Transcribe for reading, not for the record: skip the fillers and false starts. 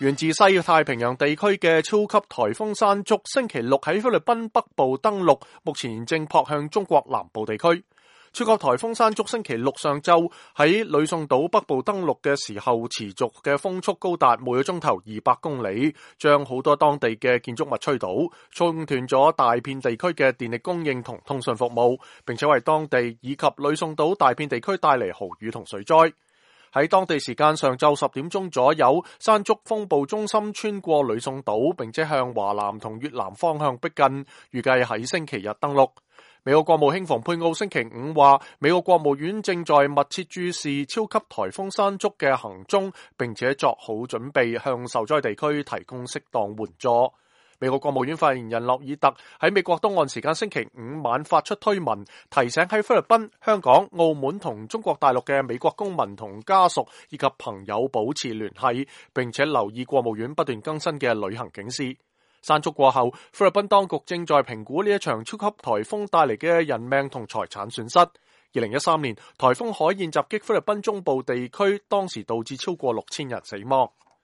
源自西太平洋地區嘅超級颱風山竹，星期六喺菲律賓北部登陸，目前正撲向中國南部地區。超級颱風山竹星期六上晝喺呂宋島北部登陸嘅時候，持續嘅風速高達每個鐘頭200公里，將好多當地嘅建築物吹倒，中斷咗大片地區嘅電力供應同通訊服務，並且為當地以及呂宋島大片地區帶嚟豪雨同水災。喺當地時間上晝10點鐘左右，山竹風暴中心穿過呂宋島，並且向華南同越南方向逼近，預計喺星期日登陸。美國國務卿蓬佩奧星期五話，美國國務院正在密切注視超級颱風山竹嘅行蹤，並且作好準備向受災地區提供適當援助。美國國務院發言人洛爾特喺美國東岸時間星期五晚發出推文，提醒喺菲律賓、香港、澳門同中國大陸嘅美國公民同家屬以及朋友保持聯繫，並且留意國務院不斷更新嘅旅行警示。山竹過後，菲律賓當局正在評估呢一場超級颱風帶嚟嘅人命同財產損失。2013年，颱風海燕襲擊菲律賓中部地區，當時導致超過6000人死亡。